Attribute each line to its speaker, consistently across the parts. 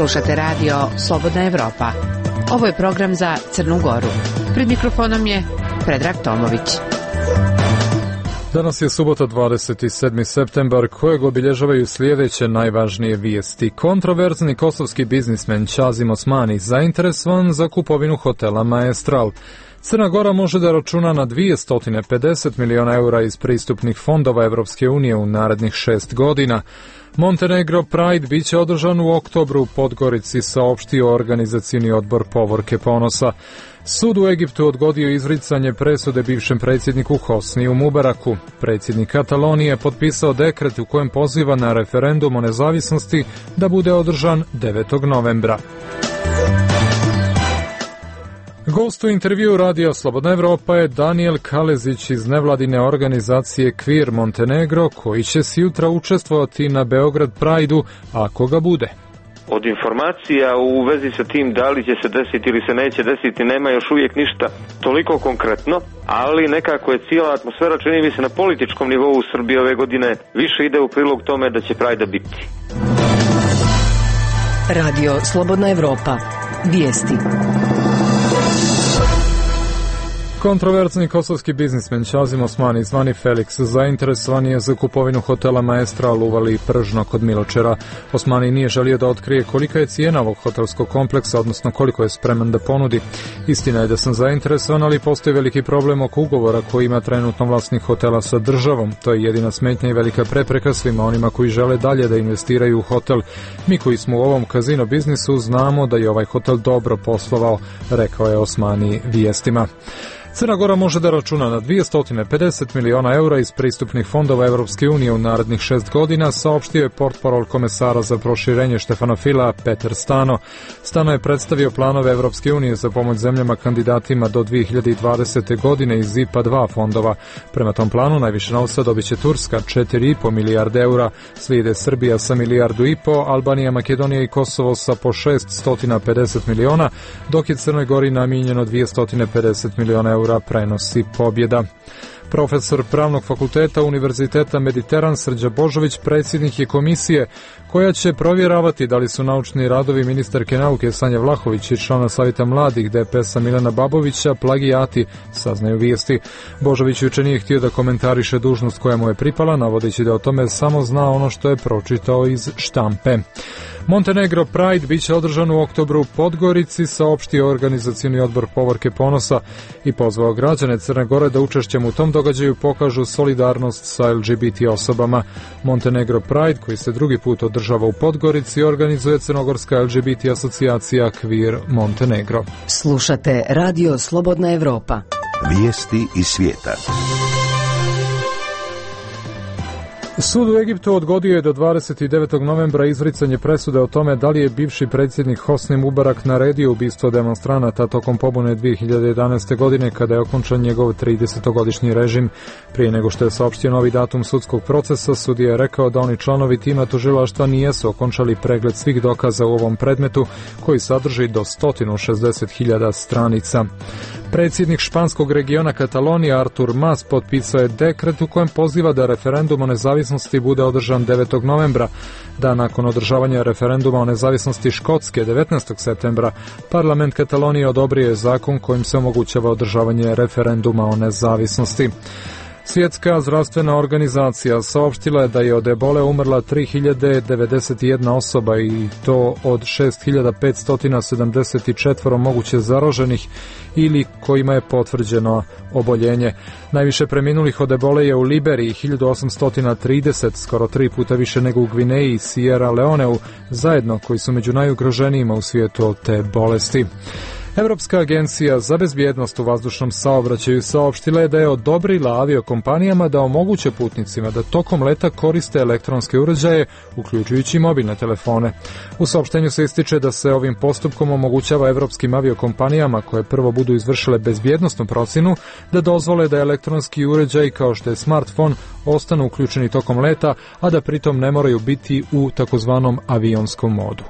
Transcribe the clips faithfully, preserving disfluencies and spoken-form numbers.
Speaker 1: Slušate radio Slobodna Evropa. Ovo je program za Crnu Goru. Pred mikrofonom je Predrag Tomović.
Speaker 2: Danas je subota dvadeset sedmi septembar, kojeg obilježavaju sljedeće najvažnije vijesti. Kontroverzni kosovski biznismen Čazim Osmani zainteresovan za kupovinu hotela Maestral. Crna Gora može da računa na dvjesto pedeset miliona eura iz pristupnih fondova Evropske unije u narednih šest godina. Montenegro Pride biće održan u oktobru u Podgorici, saopštio organizacioni odbor Povorke ponosa. Sud u Egiptu odgodio izricanje presude bivšem predsjedniku Hosniju Mubaraku. Predsjednik Katalonije potpisao dekret u kojem poziva na referendum o nezavisnosti da bude održan devetog novembra. Gost u intervju radija Slobodna Evropa je Daniel Kalezić iz nevladine organizacije Queer Montenegro, koji će se jutra učestvovati na Beograd Pride-u, ako ga bude.
Speaker 3: Od informacija u vezi sa tim da li će se desiti ili se neće desiti nema još uvijek ništa toliko konkretno, ali nekako je cijela atmosfera, čini mi se, na političkom nivou u Srbiji ove godine više ide u prilog tome da će Pride biti.
Speaker 4: Radio Slobodna Evropa. Vijesti.
Speaker 2: Kontroverzni kosovski biznismen Čazim Osmani, zvani Felix, zainteresovan je za kupovinu hotela Maestral u Vali Pržno kod Miločera. Osmani nije želio da otkrije kolika je cijena ovog hotelskog kompleksa, odnosno koliko je spreman da ponudi. Istina je da sam zainteresovan, ali postoji veliki problem oko ugovora koji ima trenutno vlasnik hotela sa državom. To je jedina smetnja i velika prepreka svima onima koji žele dalje da investiraju u hotel. Mi koji smo u ovom kazino biznisu znamo da je ovaj hotel dobro poslovao, rekao je Osmani vijestima. Crna Gora može da računa na dvjesto pedeset miliona eura iz pristupnih fondova Evropske unije u narednih šest godina, saopštio je portparol komesara za proširenje Štefana Fila Petar Stano. Stano je predstavio planove Evropske unije za pomoć zemljama kandidatima do dvije hiljade dvadesete. godine iz I P A dva fondova. Prema tom planu najviše novca dobit će Turska, četiri i po milijarde eura, slijede Srbija sa milijardu i po, Albanija, Makedonija i Kosovo sa po šeststo pedeset miliona, dok je Crnoj Gori namijenjeno dvjesto pedeset miliona eura, prenosi pobjeda. Profesor Pravnog fakulteta Univerziteta Mediteran Srđa Božović predsjednik je komisije koja će provjeravati da li su naučni radovi ministarke nauke Sanje Vlahović i člana Savjeta mladih D P S-a Milana Babovića plagijati, saznaju vijesti. Božović juče nije htio da komentariše dužnost koja mu je pripala, navodeći da o tome samo zna ono što je pročitao iz štampe. Montenegro Pride biće održan u oktobru u Podgorici, saopštio organizacioni odbor Povorke ponosa i pozvao građane Crne Gore da učešćem u tom događaju pokažu solidarnost sa L G B T osobama. Montenegro Pride, koji se drugi put održava u Podgorici, organizuje crnogorska L G B T asocijacija Queer Montenegro.
Speaker 4: Slušate Radio Slobodna Evropa.
Speaker 5: Vijesti iz svijeta.
Speaker 2: Sud u Egiptu odgodio je do dvadeset devetog novembra izricanje presude o tome da li je bivši predsjednik Hosni Mubarak naredio ubistvo demonstranata tokom pobune dvije hiljade jedanaeste. godine kada je okončan njegov tridesetogodišnji režim. Prije nego što je saopštio novi datum sudskog procesa, sudija je rekao da oni članovi tima tužilaštva nijesu okončali pregled svih dokaza u ovom predmetu koji sadrži do sto šezdeset hiljada stranica. Predsjednik španskog regiona Katalonija Artur Mas potpisao je dekret u kojem poziva da referendum o nezavisnosti bude održan devetog novembra. Dan nakon održavanja referenduma o nezavisnosti Škotske devetnaestog septembra, parlament Katalonije odobrio je zakon kojim se omogućava održavanje referenduma o nezavisnosti. Svjetska zdravstvena organizacija saopštila je da je od ebole umrla tri hiljade devedeset jedna osoba i to od šest hiljada petsto sedamdeset četiri moguće zaraženih ili kojima je potvrđeno oboljenje. Najviše preminulih od ebole je u Liberiji hiljadu osamsto trideset, skoro tri puta više nego u Gvineji i Sierra Leoneu, zajedno koji su među najugroženijima u svijetu od te bolesti. Evropska agencija za bezbjednost u vazdušnom saobraćaju saopštila je da je odobrila aviokompanijama da omoguće putnicima da tokom leta koriste elektronske uređaje, uključujući mobilne telefone. U saopštenju se ističe da se ovim postupkom omogućava evropskim aviokompanijama koje prvo budu izvršile bezbjednosnu procjenu da dozvole da elektronski uređaji kao što je smartfon ostanu uključeni tokom leta, a da pritom ne moraju biti u takozvanom avionskom modu.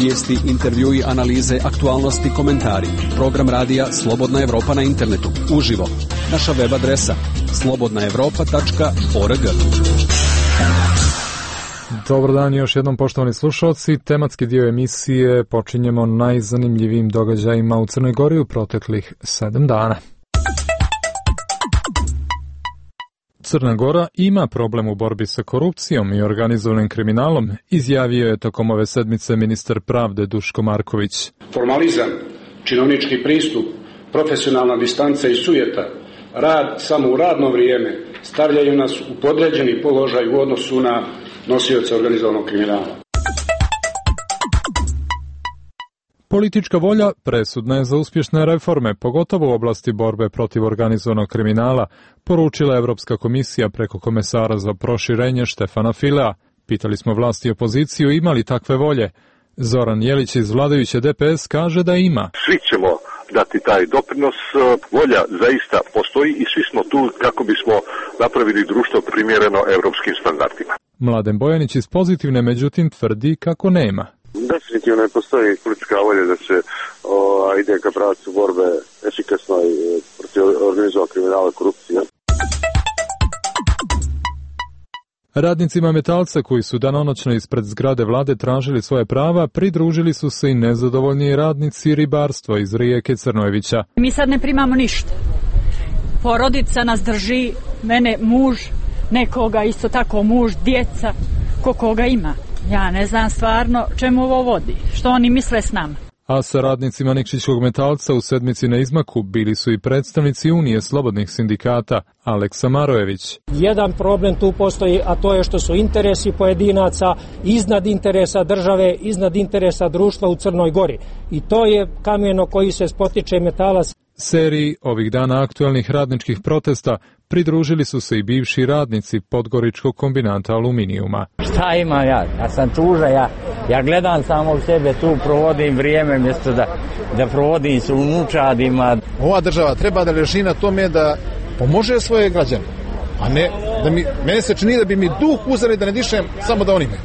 Speaker 6: Vijesti, intervjui, analize, aktualnosti, komentari. Program radija Slobodna Evropa na internetu. Uživo. Naša web adresa slobodna evropa tačka org.
Speaker 2: Dobar dan još jednom, poštovani slušalci. Tematski dio emisije počinjemo najzanimljivijim događajima u Crnoj Gori u proteklih sedam dana. Crna Gora ima problem u borbi sa korupcijom i organizovanim kriminalom, izjavio je tokom ove sedmice ministar pravde Duško Marković.
Speaker 7: Formalizam, činovnički pristup, profesionalna distanca i sujeta, rad samo u radno vrijeme stavljaju nas u podređeni položaj u odnosu na nosioce organizovanog kriminala.
Speaker 2: Politička volja presudna je za uspješne reforme, pogotovo u oblasti borbe protiv organizovanog kriminala, poručila Evropska komisija preko komesara za proširenje Štefana Filea. Pitali smo vlasti i opoziciju ima li takve volje. Zoran Jelić iz vladajuće D P S kaže da ima.
Speaker 8: Svi ćemo dati taj doprinos, volja zaista postoji i svi smo tu kako bismo napravili društvo primjereno evropskim standardima.
Speaker 2: Mladen Bojanić iz Pozitivne međutim tvrdi kako nema.
Speaker 9: Definitivno ne postoji politička volja da se o, ide ka pravcu borbe efikasno i protiv organizovanog kriminala i korupcije.
Speaker 2: Radnicima Metalca koji su danonoćno ispred zgrade vlade tražili svoje prava, pridružili su se i nezadovoljni radnici ribarstva iz Rijeke Crnojevića.
Speaker 10: Mi sad ne primamo ništa. Porodica nas drži, mene muž, nekoga isto tako muž, djeca, ko koga ima. Ja ne znam stvarno čemu ovo vodi, što oni misle s nama.
Speaker 2: A sa radnicima Nikšićkog Metalca u sedmici na izmaku bili su i predstavnici Unije slobodnih sindikata, Aleksa Marojević.
Speaker 11: Jedan problem tu postoji, a to je što su interesi pojedinaca iznad interesa države, iznad interesa društva u Crnoj Gori. I to je kameno koji se spotiče Metalac.
Speaker 2: Seriji ovih dana aktualnih radničkih protesta pridružili su se i bivši radnici Podgoričkog kombinata aluminijuma.
Speaker 12: Šta ima ja? Ja sam tuža, ja, ja gledam samo u sebe tu, provodim vrijeme mjesto da, da provodim s unučadima.
Speaker 13: Ova država treba da leži na tome da pomože svoje građane, a ne da mi, mene se čini da bi mi duh uzeli da ne dišem samo da oni me.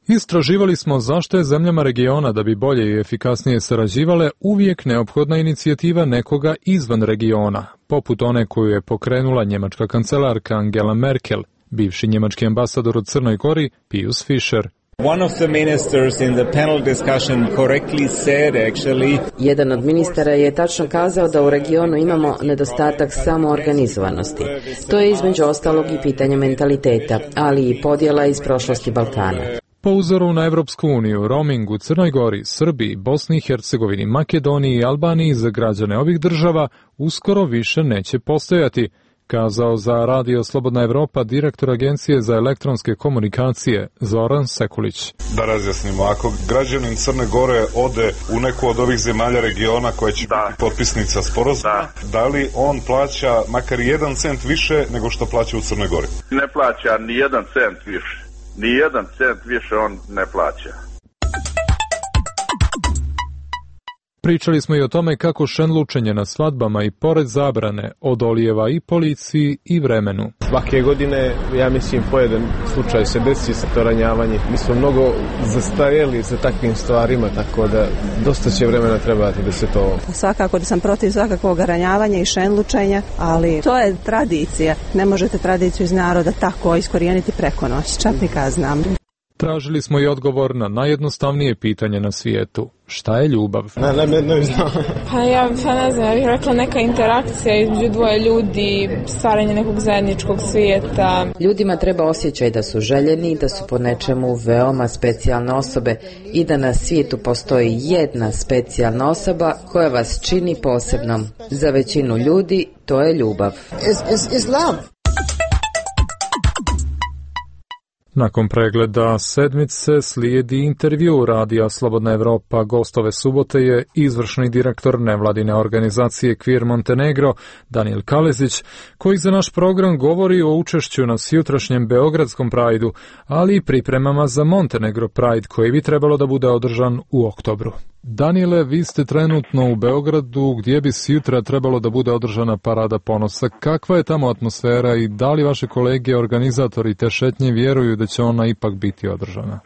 Speaker 2: Istraživali smo zašto je zemljama regiona da bi bolje i efikasnije sarađivale uvijek neophodna inicijativa nekoga izvan regiona, poput one koju je pokrenula njemačka kancelarka Angela Merkel, bivši njemački ambasador u Crnoj Gori Pius Fischer.
Speaker 14: One of the ministers in the panel discussion correctly said actually.
Speaker 15: Jedan od ministara je tačno kazao da u regionu imamo nedostatak samoorganizovanosti. To je između ostalog i pitanje mentaliteta, ali i podjela iz prošlosti Balkana.
Speaker 2: Po uzoru na Evropsku uniju, roaming u Crnoj Gori, Srbiji, Bosni i Hercegovini, Makedoniji i Albaniji za građane ovih država uskoro više neće postojati, kazao za Radio Slobodna Evropa direktor Agencije za elektronske komunikacije Zoran Sekulić.
Speaker 16: Da razjasnimo, ako građanin Crne Gore ode u neku od ovih zemalja regiona koja će da. biti potpisnica sporazuma, da. da li on plaća makar jedan cent više nego što plaća u Crnoj Gori?
Speaker 9: Ne plaća ni jedan cent više. Ni jedan cent više on ne plaća.
Speaker 2: Pričali smo i o tome kako šenlučenje na svadbama i pored zabrane odolijeva i policiji i vremenu.
Speaker 17: Svake godine, ja mislim, pojedan slučaj se desi sa to ranjavanje. Mi smo mnogo zastarjeli za takvim stvarima, tako da dosta će vremena trebati da se to...
Speaker 18: Svakako da sam protiv svakakvog ranjavanja i šenlučenja, ali to je tradicija. Ne možete tradiciju iz naroda tako iskorijeniti preko noći, čak ni kad znam.
Speaker 2: Tražili smo i odgovor na najjednostavnije pitanje na svijetu. Šta je ljubav?
Speaker 17: Ne, ne, ne, ne znam.
Speaker 19: Pa ja, pa ne znam, ja bih rekla neka interakcija između dvoje ljudi, stvaranje nekog zajedničkog svijeta.
Speaker 15: Ljudima treba osjećaj da su željeni, da su po nečemu veoma specijalne osobe i da na svijetu postoji jedna specijalna osoba koja vas čini posebnom. Za većinu ljudi to je ljubav.
Speaker 20: Is, is, is love.
Speaker 2: Nakon pregleda sedmice slijedi intervju Radija Slobodna Evropa. Gost ove subote je izvršni direktor nevladine organizacije Queer Montenegro, Daniel Kalezić, koji za naš program govori o učešću na sjutrašnjem Beogradskom Prajdu, ali i pripremama za Montenegro Pride koji bi trebalo da bude održan u oktobru. Daniele, vi ste trenutno u Beogradu gdje bi sutra trebalo da bude održana Parada ponosa. Kakva je tamo atmosfera i da li vaše kolege organizatori te šetnje vjeruju da će ona ipak biti održana?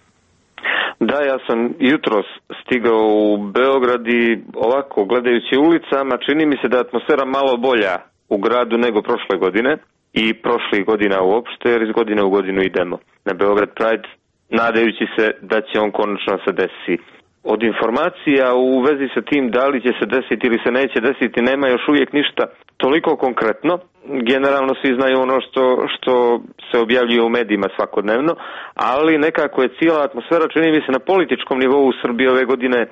Speaker 3: Da, ja sam jutros stigao u Beograd i ovako gledajući ulicama čini mi se da je atmosfera malo bolja u gradu nego prošle godine. i prošlih godina uopšte, jer iz godine u godinu idemo na Beograd Pride, nadajući se da će on konačno se desi. Od informacija u vezi sa tim da li će se desiti ili se neće desiti nema još uvijek ništa toliko konkretno. Generalno svi znaju ono što, što se objavljuje u medijima svakodnevno, ali nekako je cijela atmosfera, čini mi se, na političkom nivou u Srbiji ove godine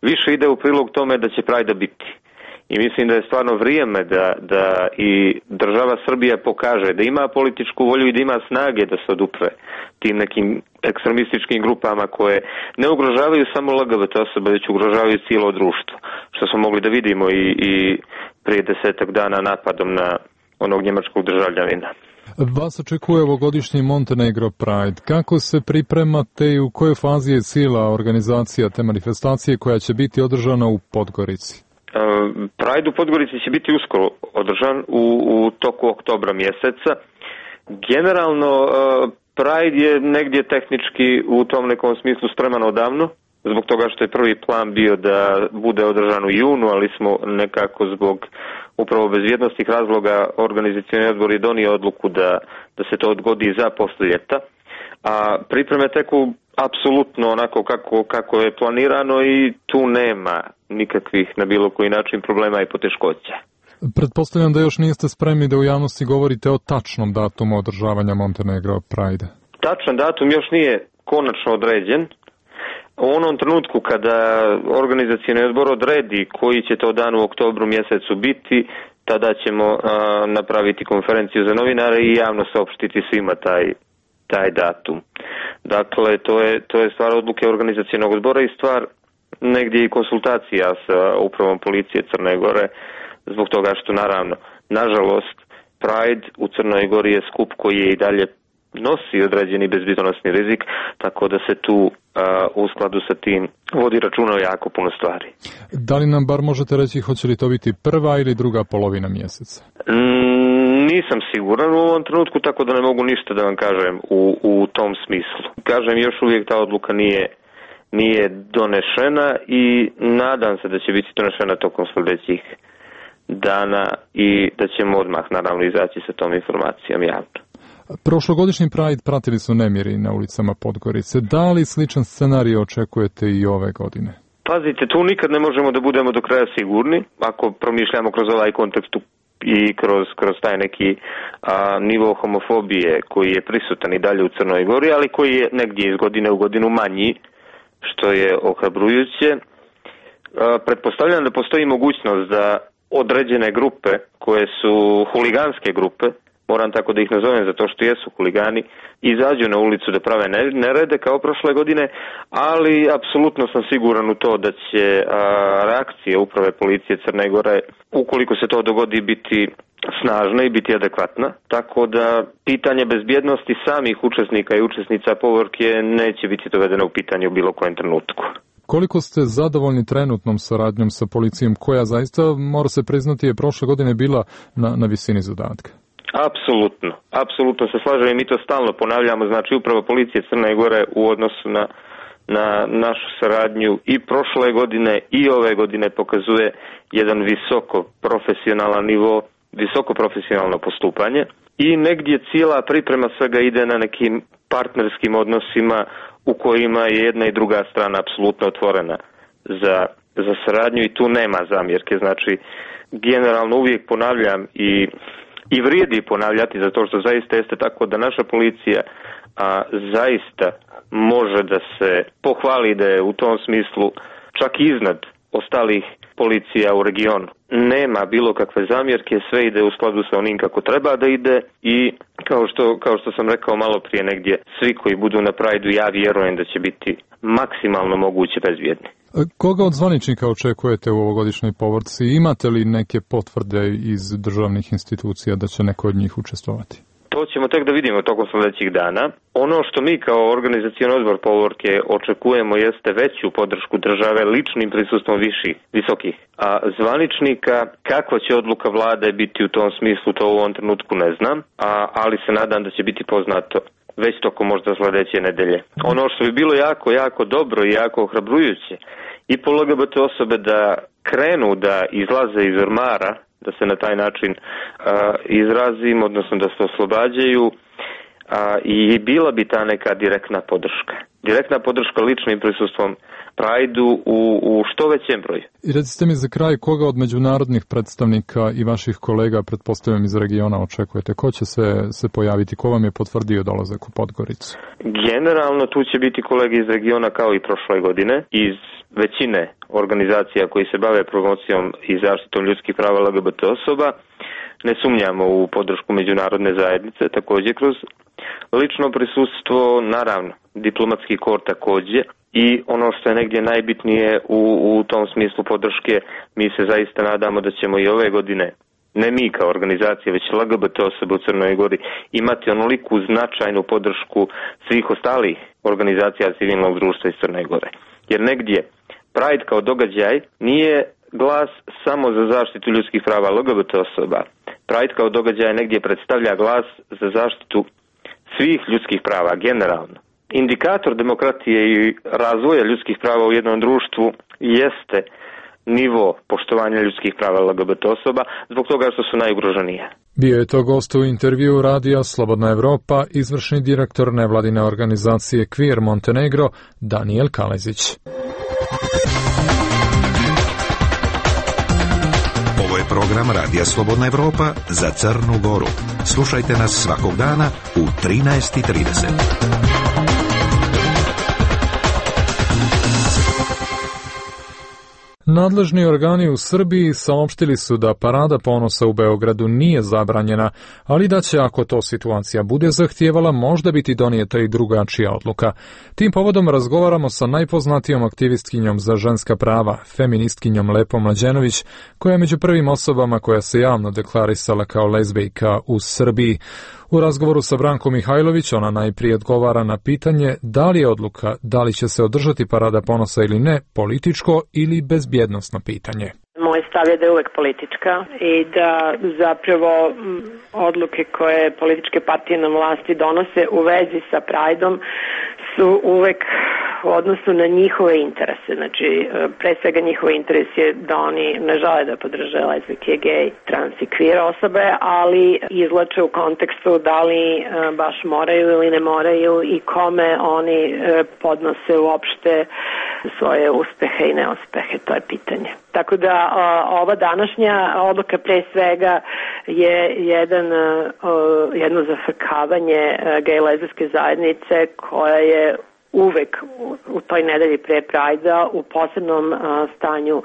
Speaker 3: više ide u prilog tome da će Prajda biti. I mislim da je stvarno vrijeme da, da i država Srbija pokaže da ima političku volju i da ima snage da se odupre tim nekim ekstremističkim grupama koje ne ugrožavaju samo L G B T osobe, već ugrožavaju cijelo društvo. Što smo mogli da vidimo i, i prije desetak dana napadom na onog njemačkog državljanina.
Speaker 2: Vas očekuje ovogodišnji Montenegro Pride. Kako se pripremate i u kojoj fazi je cijela organizacija te manifestacije koja će biti održana u Podgorici?
Speaker 3: Pride u Podgorici će biti uskoro održan u, u toku oktobra mjeseca. Generalno Pride je negdje tehnički u tom nekom smislu spreman odavno, zbog toga što je prvi plan bio da bude održan u junu, ali smo nekako zbog upravo bezbjednostnih razloga organizacioni odbor je donio odluku da, da se to odgodi za poslije ljeta. A pripreme teku apsolutno onako kako, kako je planirano i tu nema nikakvih na bilo koji način problema i poteškoća.
Speaker 2: Pretpostavljam da još niste spremni da u javnosti govorite o tačnom datumu održavanja Montenegro Pride.
Speaker 3: Tačan datum još nije konačno određen. U onom trenutku kada organizacioni odbor odredi koji će to dan u oktobru mjesecu biti, tada ćemo a, napraviti konferenciju za novinare i javno saopštiti svima taj, taj datum. Dakle, to je, to je stvar odluke organizacionog odbora i stvar negdje i konsultacija sa upravom policije Crne Gore, zbog toga što naravno, nažalost, Pride u Crnoj Gori je skup koji je i dalje nosi određeni bezbjednosni rizik, tako da se tu a, u skladu sa tim vodi računa o jako puno stvari.
Speaker 2: Da li nam bar možete reći hoće li to biti prva ili druga polovina mjeseca?
Speaker 3: Mm, nisam siguran u ovom trenutku, tako da ne mogu ništa da vam kažem u, u tom smislu. Kažem, još uvijek ta odluka nije, nije donešena i nadam se da će biti donešena tokom sljedećih dana i da ćemo odmah naravno izaći sa tom informacijom javno.
Speaker 2: Prošlogodišnji Pride pratili su nemiri na ulicama Podgorice. Da li sličan scenarij očekujete i ove godine?
Speaker 3: Pazite, tu nikad ne možemo da budemo do kraja sigurni, ako promišljamo kroz ovaj kontekst i kroz, kroz taj neki a, nivo homofobije koji je prisutan i dalje u Crnoj Gori, ali koji je negdje iz godine u godinu manji, što je ohrabrujuće. A, pretpostavljam da postoji mogućnost da određene grupe koje su huliganske grupe, moram tako da ih nazovem zato što jesu huligani, izađu na ulicu da prave nerede kao prošle godine, ali apsolutno sam siguran u to da će a, reakcija uprave policije Crne Gore, ukoliko se to dogodi, biti snažna i biti adekvatna, tako da pitanje bezbjednosti samih učesnika i učesnica povorke neće biti dovedeno u pitanje u bilo kojem trenutku.
Speaker 2: Koliko ste zadovoljni trenutnom saradnjom sa policijom, koja zaista, mora se priznati, je prošle godine bila na, na visini zadatka?
Speaker 3: Apsolutno, apsolutno se slažem i mi to stalno ponavljamo, znači upravo policija Crne Gore u odnosu na, na našu saradnju i prošle godine i ove godine pokazuje jedan visoko profesionalan nivo, visoko profesionalno postupanje i negdje cijela priprema svega ide na nekim partnerskim odnosima u kojima je jedna i druga strana apsolutno otvorena za, za saradnju i tu nema zamjerke, znači generalno uvijek ponavljam i I vrijedi ponavljati zato što zaista jeste tako da naša policija a, zaista može da se pohvali da je u tom smislu čak iznad ostalih policija u regionu. Nema bilo kakve zamjerke, sve ide u skladu sa onim kako treba da ide i kao što, kao što sam rekao malo prije negdje, svi koji budu na Prideu, ja vjerujem da će biti maksimalno moguće bezbjedni.
Speaker 2: Koga od zvaničnika očekujete u ovogodišnjoj povorci? Imate li neke potvrde iz državnih institucija da će neko od njih učestvovati?
Speaker 3: To ćemo tek da vidimo tokom sljedećih dana. Ono što mi kao organizacioni odbor povorke očekujemo jeste veću podršku države ličnim prisustvom viših, visokih a zvaničnika. Kakva će odluka vlade biti u tom smislu, to u ovom trenutku ne znam, a, ali se nadam da će biti poznato već tokom možda sljedeće nedelje. Ono što bi bilo jako, jako dobro i jako ohrabrujuće i po L G B T osobe da krenu da izlaze iz ormara, da se na taj način uh, izrazim, odnosno da se oslobađaju. A, i bila bi ta neka direktna podrška. Direktna podrška ličnim prisustvom Prajdu u, u što većem broju.
Speaker 2: I recite mi za kraj, koga od međunarodnih predstavnika i vaših kolega, pretpostavljam iz regiona, očekujete? Ko će se, se pojaviti? Ko vam je potvrdio dolazak u Podgoricu?
Speaker 3: Generalno tu će biti kolege iz regiona kao i prošle godine, iz većine organizacija koji se bave promocijom i zaštitom ljudskih prava L G B T osoba. Ne sumnjamo u podršku međunarodne zajednice, također kroz lično prisustvo, naravno, diplomatski kor također. I ono što je negdje najbitnije u, u tom smislu podrške, mi se zaista nadamo da ćemo i ove godine, ne mi kao organizacija, već L G B T osobe u Crnoj Gori, imati onoliku značajnu podršku svih ostalih organizacija civilnog društva iz Crne Gore. Jer negdje Pride kao događaj nije glas samo za zaštitu ljudskih prava L G B T osoba. Pride kao događaj negdje predstavlja glas za zaštitu svih ljudskih prava generalno. Indikator demokratije i razvoja ljudskih prava u jednom društvu jeste nivo poštovanja ljudskih prava L G B T osoba zbog toga što su najugroženije.
Speaker 2: Bio je to gost u intervju radija Slobodna Evropa, izvršni direktor nevladine organizacije Queer Montenegro, Daniel Kalezić.
Speaker 5: Ovo je program radija Slobodna Evropa za Crnu Goru. Slušajte nas svakog dana u trinaest i trideset.
Speaker 2: Nadležni organi u Srbiji saopštili su da parada ponosa u Beogradu nije zabranjena, ali da će, ako to situacija bude zahtijevala, možda biti donijeta i drugačija odluka. Tim povodom razgovaramo sa najpoznatijom aktivistkinjom za ženska prava, feministkinjom Lepom Mlađenović, koja je među prvim osobama koja se javno deklarisala kao lezbejka u Srbiji. U razgovoru sa Brankom Mihajlović ona najprije odgovara na pitanje da li je odluka da li će se održati parada ponosa ili ne političko ili bezbjednosno pitanje.
Speaker 20: Moj stav je da je uvek politička i da zapravo odluke koje političke partije na vlasti donose u vezi sa Prideom su uvek u odnosu na njihove interese. Znači, pre svega njihov interes je da oni ne žele da podrže lezbijke, gej, trans i queer osobe, ali izlače u kontekstu da li baš moraju ili ne moraju i kome oni podnose uopšte svoje uspehe i neuspehe, to je pitanje. Tako da ova današnja odluka pre svega je jedan, jedno zafrkavanje gej lezbijske zajednice koja je uvek u toj nedelji pre Prajda u posebnom stanju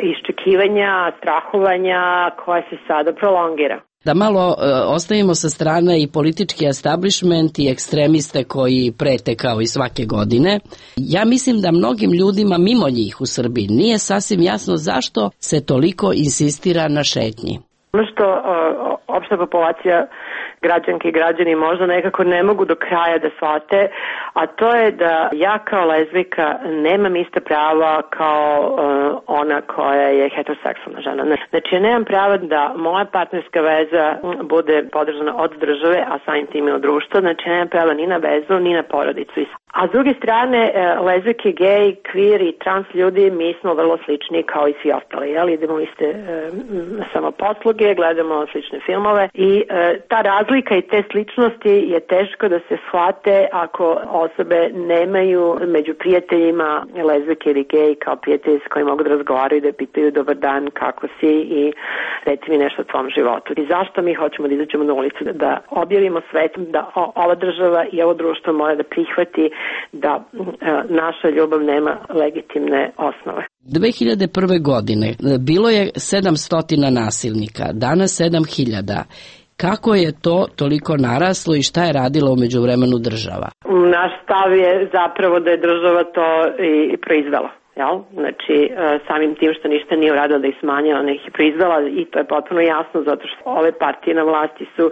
Speaker 20: iščekivanja, strahovanja koja se sada prolongira.
Speaker 21: Da malo e, ostavimo sa strane i politički establishment i ekstremiste koji prete kao i svake godine. Ja mislim da mnogim ljudima mimo njih u Srbiji nije sasvim jasno zašto se toliko insistira na šetnji.
Speaker 20: Ono što o, opšta populacija građanke i građani možda nekako ne mogu do kraja da shvate, a to je da ja kao lezbijka nemam ista prava kao uh, ona koja je heteroseksualna žena. Znači ja nemam prava da moja partnerska veza bude podržana od države, a samim tim i od društva. Znači ja nemam prava ni na vezu, ni na porodicu. A s druge strane, lezbijke, gej, queer i trans ljudi, mi smo vrlo slični kao i svi ostali. Jel? Idemo u iste e, samoposluge, gledamo slične filmove i e, ta razlika i te sličnosti je teško da se shvate ako osobe nemaju među prijateljima lezbijke ili gej kao prijatelji s kojima mogu da razgovaraju, da pitaju dobar dan, kako si i reci mi nešto o tvom životu. I zašto mi hoćemo da izađemo na ulicu, da objavimo svetu da ova država i ovo društvo mora da prihvati da e, naša ljubav nema legitimne osnove.
Speaker 21: dve hiljade prve. godine bilo je sedamsto nasilnika, danas sedam hiljada. Kako je to toliko naraslo i šta je radila u međuvremenu država?
Speaker 20: Naš stav je zapravo da je država to i proizvela. Jel? Znači, samim tim što ništa nije uradila da ih smanjila, ona ih je proizvela i to je potpuno jasno zato što ove partije na vlasti su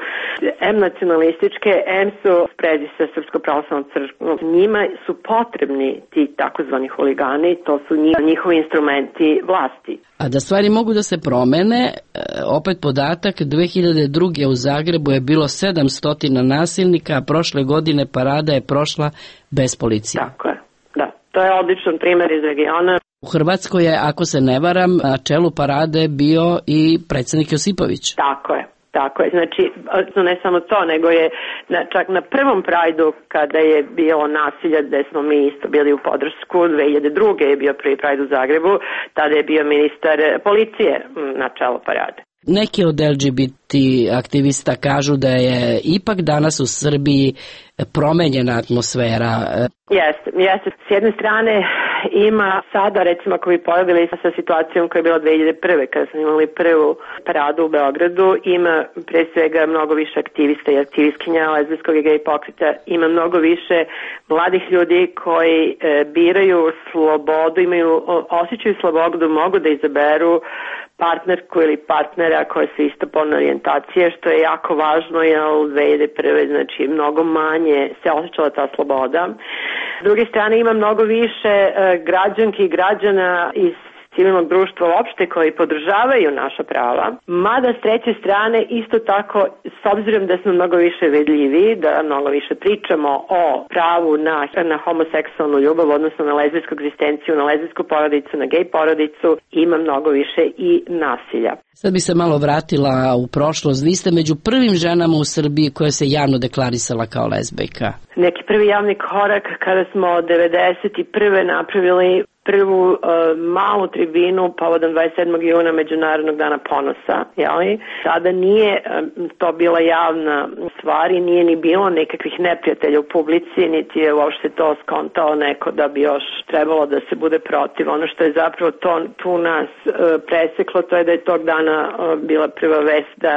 Speaker 20: em nacionalističke, em su sprezi sa Srpsko pravoslavnom crkvom. Njima su potrebni ti takozvani huligani, to su njihovi instrumenti vlasti.
Speaker 21: A da stvari mogu da se promene, opet podatak, dve hiljade druge. u Zagrebu je bilo sedamsto nasilnika, a prošle godine parada je prošla bez policije.
Speaker 20: Tako je. To je odličan primjer iz regiona.
Speaker 21: U Hrvatskoj je, ako se ne varam, na čelu parade bio i predsjednik Josipović.
Speaker 20: Tako je. Tako je, znači ne samo to, nego je na, čak na prvom Prajdu kada je bilo nasilje gde smo mi isto bili u podršku, dve hiljade druge je bio prvi Prajd u Zagrebu, tada je bio ministar policije na čelu parade.
Speaker 21: Neki od L G B T aktivista kažu da je ipak danas u Srbiji promenjena atmosfera.
Speaker 20: Jeste, jeste. S jedne strane ima sada, recimo ako bi poredili sa situacijom koja je bila dve hiljade prve kada smo imali prvu paradu u Beogradu, ima pre svega mnogo više aktivista i aktivistkinja lezbijskog i gej pokreta, ima mnogo više mladih ljudi koji e, biraju slobodu, imaju, osjećaju slobodu, mogu da izaberu partnerku ili partnera koje su istopolne orijentacije, što je jako važno, jer u dve hiljade prve znači mnogo manje se osjećala ta sloboda. S druge strane ima mnogo više e, građanki i građana iz civilnog društva uopšte koji podržavaju naša prava, mada s treće strane isto tako, s obzirom da smo mnogo više vidljivi, da mnogo više pričamo o pravu na, na homoseksualnu ljubav, odnosno na lezbijsku egzistenciju, na lezbijsku porodicu, na gej porodicu, ima mnogo više i nasilja.
Speaker 21: Sad bi se malo vratila u prošlost. Vi ste među prvim ženama u Srbiji koja se javno deklarisala kao lezbijka.
Speaker 20: Neki prvi javni korak kada smo devedeset prve napravili prvu uh, malu tribinu povodom dvadeset sedmog juna Međunarodnog dana ponosa, jeli? Sada nije um, to bila javna stvar i nije ni bilo nekakvih neprijatelja u publici, niti je uopšte to skontao neko da bi još trebalo da se bude protiv. Ono što je zapravo to, tu nas uh, preseklo, to je da je tog dana uh, bila prva vest da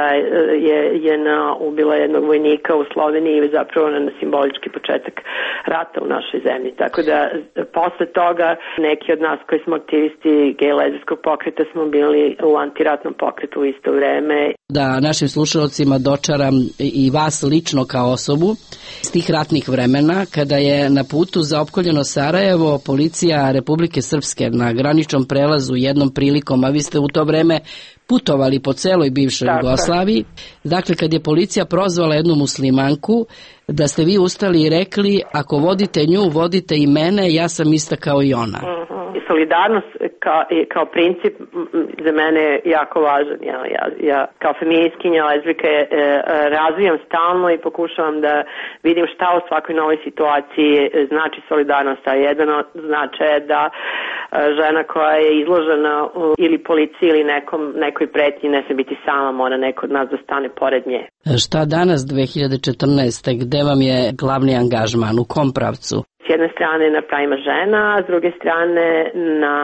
Speaker 20: je J N A ubila jednog vojnika u Sloveniji i zapravo na simbolički početak rata u našoj zemlji. Tako da posle toga neki od nas koji smo aktivisti gej lezbijskog pokreta smo bili u antiratnom pokretu u isto vreme.
Speaker 21: Da našim slušalcima dočaram i vas lično kao osobu iz tih ratnih vremena, kada je na putu za opkoljeno Sarajevo policija Republike Srpske na graničnom prelazu jednom prilikom, a vi ste u to vreme putovali po celoj bivšoj Tako. Jugoslaviji. Dakle, kad je policija prozvala jednu muslimanku, da ste vi ustali i rekli, ako vodite nju, vodite i mene, ja sam ista kao i ona.
Speaker 20: Uh-huh. Solidarnost kao, kao princip za mene je jako važan. Ja, ja, ja kao feministkinja, lezbijka je, e, razvijam stalno i pokušavam da vidim šta u svakoj novoj situaciji znači solidarnost. A jedan od značaja je da žena koja je izložena ili policiji ili nekom, nekoj pretnji ne sme biti sama, mora neko od nas da stane pored nje.
Speaker 21: Šta danas dve hiljade četrnaeste. Gde vam je glavni angažman? U kom pravcu?
Speaker 20: S jedne strane na pravima žena, a s druge strane na,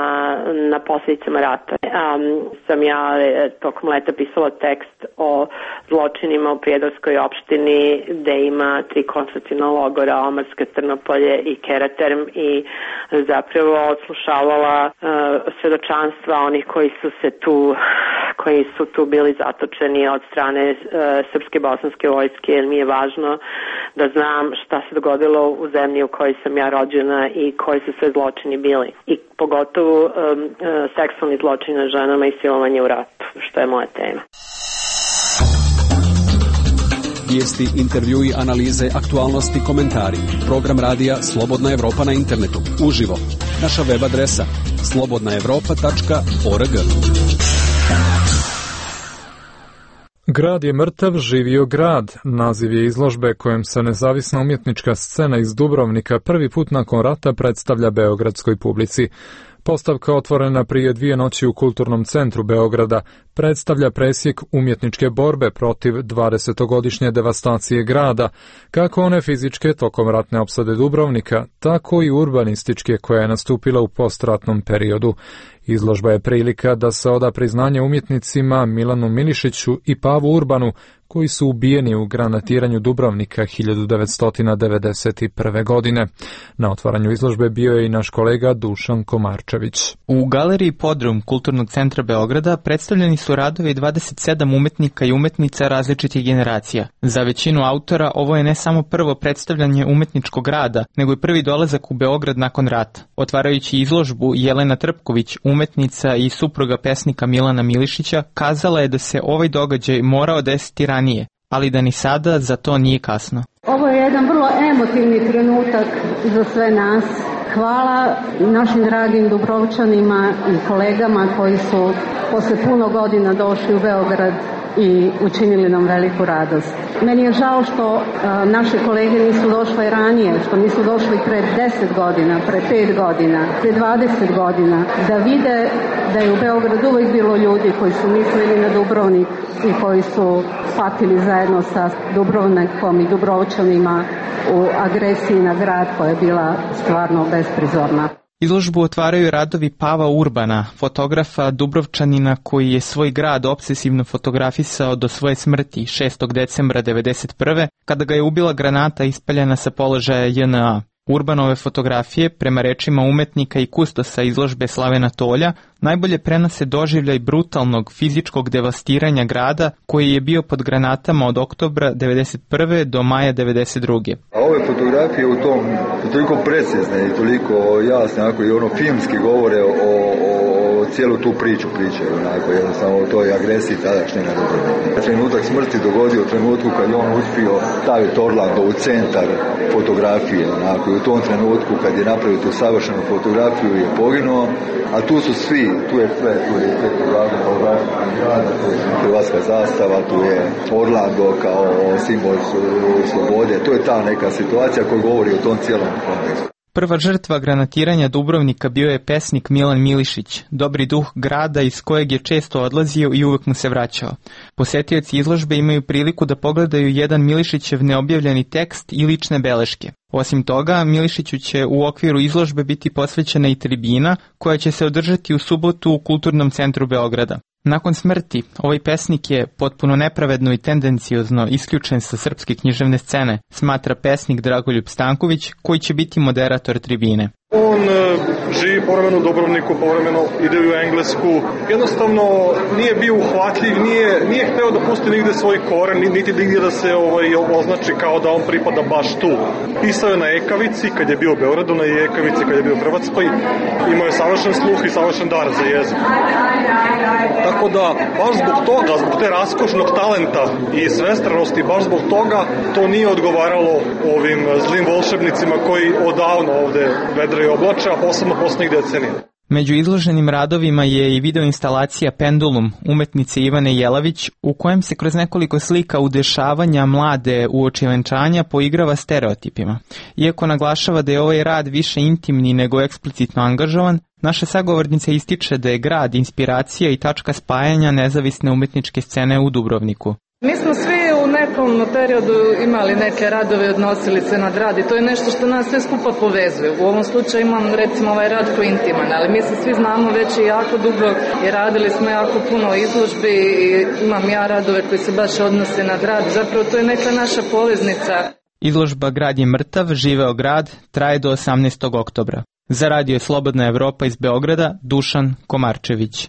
Speaker 20: na posljedicama rata. Um, sam ja tokom leta pisala tekst o zločinima u Prijedorskoj opštini gde ima tri koncentraciona logora, Omarska, Trnopolje i Keraterm i zapravo odslušavala uh, svedočanstva onih koji su se tu koji su tu bili zatočeni od strane uh, srpske bosanske vojske, jer mi je važno da znam šta se dogodilo u zemlji u kojoj sam ja rođena i koji su sve zločini bili. I pogotovo um, uh, seksualni zločini na ženama i silovanje u ratu, što je moja tema.
Speaker 6: Vijesti, intervjui, analize, aktualnosti, komentari. Program radija Slobodna Evropa na internetu. Uživo. Naša web adresa slobodna evropa tačka org.
Speaker 2: Grad je mrtav, živio grad. Naziv je izložbe kojem se nezavisna umjetnička scena iz Dubrovnika prvi put nakon rata predstavlja beogradskoj publici. Postavka, otvorena prije dvije noći u Kulturnom centru Beograda, predstavlja presjek umjetničke borbe protiv dvadesetogodišnje devastacije grada, kako one fizičke tokom ratne opsade Dubrovnika, tako i urbanističke koja je nastupila u postratnom periodu. Izložba je prilika da se oda priznanje umjetnicima Milanu Milišiću i Pavu Urbanu, koji su ubijeni u granatiranju Dubrovnika hiljadu devetsto devedeset prve. godine. Na otvaranju izložbe bio je i naš kolega Dušan Komarčević.
Speaker 1: U galeriji Podrum Kulturnog centra Beograda predstavljeni su radovi dvadeset sedam umetnika i umetnica različitih generacija. Za većinu autora ovo je ne samo prvo predstavljanje umetničkog rada, nego i prvi dolazak u Beograd nakon rata. Otvarajući izložbu, Jelena Trpković, umetnica i supruga pesnika Milana Milišića, kazala je da se ovaj događaj morao desiti ranije, ali da ni sada za to nije kasno.
Speaker 22: Ovo je jedan vrlo emotivni trenutak za sve nas.
Speaker 4: Hvala našim dragim Dubrovčanima i kolegama koji su posle puno godina došli u Beograd i učinili nam veliku radost. Meni je žao što a, naše kolege nisu došle ranije, što nisu došli pre deset godina, pre pet godina, pre dvadeset godina, da vide da je u Beogradu uvijek bilo ljudi koji su mislili na Dubrovnik i koji su patili zajedno sa Dubrovnikom i Dubrovčanima u agresiji na grad koja je bila stvarno besprizorna.
Speaker 1: Izložbu otvaraju radovi Pava Urbana, fotografa Dubrovčanina koji je svoj grad obsesivno fotografisao do svoje smrti šestog decembra devedeset prve kada ga je ubila granata ispaljena sa položaja J N A. Urbanove fotografije, prema rečima umetnika i kustosa izložbe Slavena Tolja, najbolje prenose doživljaj brutalnog fizičkog devastiranja grada koji je bio pod granatama od oktobra devedeset prve do maja devedeset druge.
Speaker 22: A ove fotografije u tom su toliko precizne i toliko jasne, onako i ono filmski govore o, o, o cijelu tu priču pričaju, onako jednostavno o toj agresiji tadašnje na Dubrovnik. Trenutak smrti dogodio u trenutku kad je on uspio staviti Orlando u centar fotografije, onako i u tom trenutku kad je napravio tu savršenu fotografiju je poginuo, a tu su svi, tu je sve, tu je hrvatska zastava, tu je Orlando kao simbol slobode, to je ta neka situacija koja govori o tom cijelom kontekstu.
Speaker 1: Prva žrtva granatiranja Dubrovnika bio je pesnik Milan Milišić, dobri duh grada iz kojeg je često odlazio i uvek mu se vraćao. Posetioci izložbe imaju priliku da pogledaju jedan Milišićev neobjavljeni tekst i lične beleške. Osim toga, Milišiću će u okviru izložbe biti posvećena i tribina koja će se održati u subotu u Kulturnom centru Beograda. Nakon smrti, ovaj pesnik je potpuno nepravedno i tendenciozno isključen sa srpske književne scene, smatra pesnik Dragoljub Stanković, koji će biti moderator tribine.
Speaker 23: On e, živi povremeno u Dubrovniku, povremeno ide u Englesku. Jednostavno nije bio uhvatljiv, nije, nije hteo da pusti nigde svoj koren, niti nigdje da se ovaj, označi kao da on pripada baš tu. Pisao je na ekavici, kad je bio u Beogradu, na ekavici kad je bio u Hrvatskoj. Imao je savršen sluh i savršen dar za jezik. Tako da, baš zbog toga, zbog te raskošnog talenta i svestranosti, baš zbog toga, to nije odgovaralo ovim zlim volšebnicima koji odavno ovde vedraju oblače, a posebno poslednjih decenija.
Speaker 1: Među izloženim radovima je i videoinstalacija Pendulum umetnice Ivane Jelavić, u kojem se kroz nekoliko slika udešavanja mlade uoči venčanja poigrava stereotipima. Iako naglašava da je ovaj rad više intimni nego eksplicitno angažovan, naša sagovornica ističe da je grad inspiracija i tačka spajanja nezavisne umetničke scene u Dubrovniku.
Speaker 24: Mi smo svi u nekom periodu imali neke radove, odnosili se na grad i to je nešto što nas sve skupa povezuje. U ovom slučaju imam recimo ovaj rad koji je intiman, ali mi se svi znamo već i jako dugo i radili smo jako puno izložbi i imam ja radove koji se baš odnose na grad. Zapravo to je neka naša poveznica.
Speaker 1: Izložba Grad je mrtav, živeo grad traje do osamnaestog oktobra. Za radio Slobodna Evropa iz Beograda, Dušan Komarčević.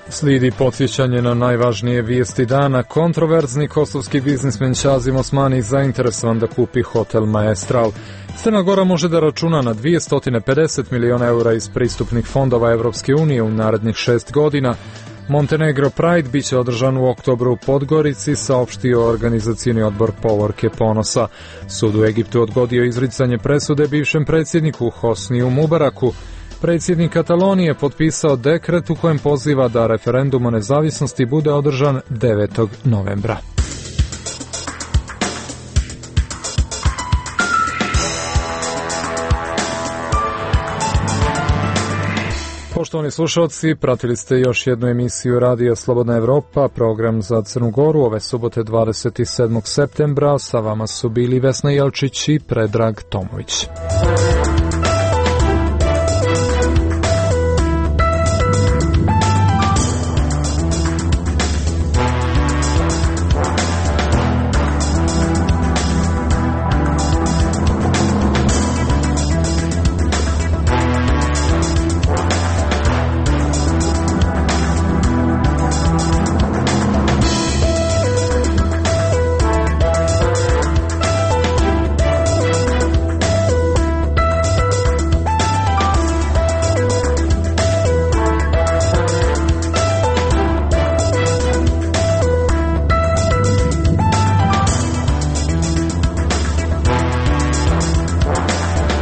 Speaker 2: Slijedi podsjećanje na najvažnije vijesti dana. Kontroverzni kosovski biznismen Šazim Osmani zainteresovan da kupi hotel Maestral. Crna Gora može da računa na dvjesto pedeset miliona eura iz pristupnih fondova Evropske unije u narednih šest godina. Montenegro Pride biće održan u oktobru u Podgorici, saopštio organizacioni odbor Povorke Ponosa. Sud u Egiptu odgodio izricanje presude bivšem predsjedniku Hosniju Mubaraku. Predsjednik Katalonije potpisao dekret u kojem poziva da referendum o nezavisnosti bude održan devetog novembra. Poštovani slušalci, pratili ste još jednu emisiju Radija Slobodna Evropa, program za Crnu Goru, ove subote dvadeset sedmog septembra. Sa vama su bili Vesna Jelčić i Predrag Tomović.